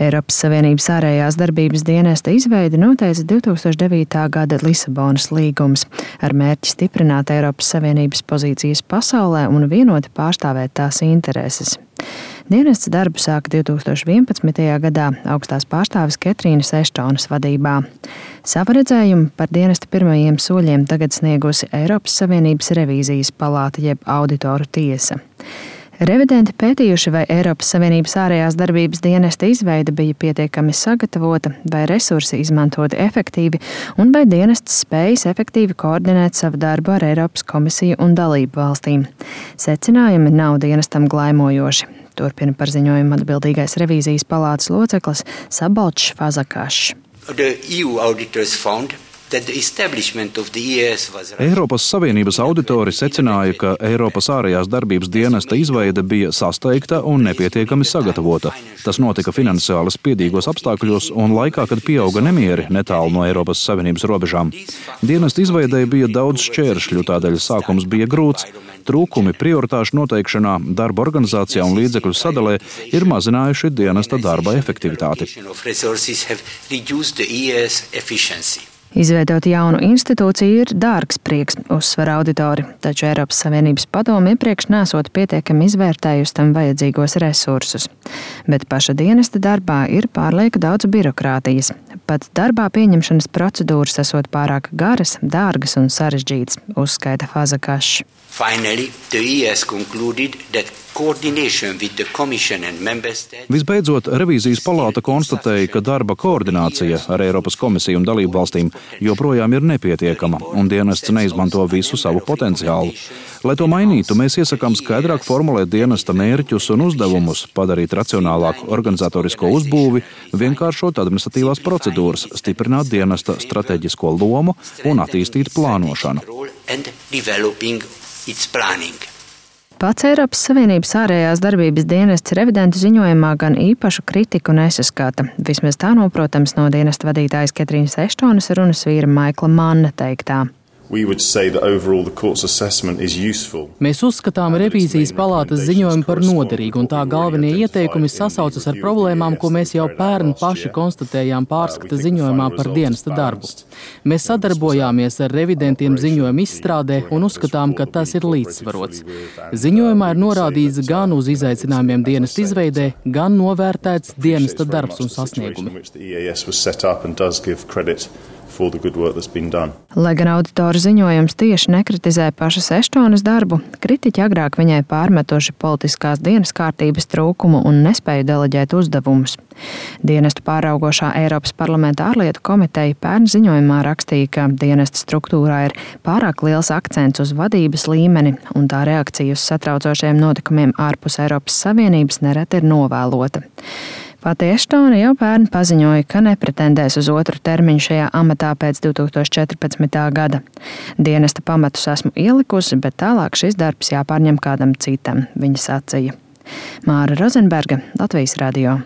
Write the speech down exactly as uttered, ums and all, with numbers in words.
Eiropas Savienības ārējās darbības dienesta izveidi noteica divtūkstoš devītā gada Lisabonas līgums ar mērķi stiprināt Eiropas Savienības pozīcijas pasaulē un vienoti pārstāvēt tās intereses. Dienests darbu sāka divtūkstoš vienpadsmitajā gadā augstās pārstāves Ketrīnas Eštonas vadībā. Savu redzējumu par dienesta pirmajiem soļiem tagad sniegusi Eiropas Savienības revīzijas palāta jeb auditoru tiesa. Revidenti pētījuši, vai Eiropas Savienības ārējās darbības dienesta izveide bija pietiekami sagatavota, vai resursi izmantoti efektīvi un vai dienests spējas efektīvi koordinēt savu darbu ar Eiropas komisiju un dalību valstīm. Secinājumi nav dienestam glaimojoši. Turpina par ziņojumu atbildīgais revīzijas palātas loceklis Sabalčs Fazakašs. Eiropas Savienības auditori secināja, ka Eiropas ārējās darbības dienesta izveide bija sasteigta un nepietiekami sagatavota. Tas notika finansiāli spiedīgos apstākļos un laikā, kad pieauga nemieri netālu no Eiropas Savienības robežām. Dienesta izveidei bija daudz šķēršļu, tādēļ sākums bija grūts. Trūkumi prioritāšu noteikšanā, darba organizācijā un līdzekļu sadalē ir mazinājuši dienesta darba efektivitāti. Izveidot jaunu institūciju ir dārgs prieks, uzsver auditori, taču Eiropas Savienības padome iepriekš nesot pietiekami izvērtējusi tam vajadzīgos resursus. Bet paša dienesta darbā ir pārlieku daudz birokrātijas. Pat darbā pieņemšanas procedūras esot pārāk garas, dārgas un sarežģītas, uzskaita Fazakašs. Visbeidzot, revīzijas palāta konstatēja, ka darba koordinācija ar Eiropas komisiju un dalību valstīm joprojām ir nepietiekama, un dienests neizmanto visu savu potenciālu. Lai to mainītu, mēs iesakām skaidrāk formulēt dienesta mērķus un uzdevumus, padarīt racionālāku organizatorisko uzbūvi, vienkāršot administratīvās procedūras, stiprināt dienesta strateģisko lomu un attīstīt plānošanu. Pats Eiropas Savienības ārējās darbības dienests revidentu ziņojumā gan īpašu kritiku nesaskata. Vismaz tā noprotams no dienesta vadītājas Ketrīnas Eštonas runas vīra Maikla Manna teiktā. Mēs uzskatām revīzijas palātas ziņojumu par noderīgu, un tā galvenie ieteikumi sasaucas ar problēmām, ko mēs jau pērn paši konstatējām pārskata ziņojumā par dienesta darbu. Mēs sadarbojāmies ar revidentiem ziņojumu izstrādē un uzskatām, ka tas ir līdzsvarots. Ziņojumā ir norādīts gan uz izaicinājumiem dienesta izveidē, gan novērtēts dienesta darbs un sasniegumi. Lai gan auditoru ziņojums tieši nekritizē pašas Eštonas darbu, kritiķi agrāk viņai pārmetoši politiskās dienas kārtības trūkumu un nespēju deleģēt uzdevumus. Dienestu pāraugošā Eiropas parlamenta ārlietu komiteja pērn ziņojumā rakstīja, ka dienesta struktūrā ir pārāk liels akcents uz vadības līmeni, un tā reakcija uz satraucošiem notikumiem ārpus Eiropas Savienības nereti ir novēlota. Pati Eštona jau pērn paziņoja, ka nepretendēs uz otru termiņu šajā amatā pēc divtūkstoš četrpadsmitā gada. Dienesta pamatus esmu ielikusi, bet tālāk šis darbs jāpārņem kādam citam, viņa sacīja. Māra Rozenberga, Latvijas radio.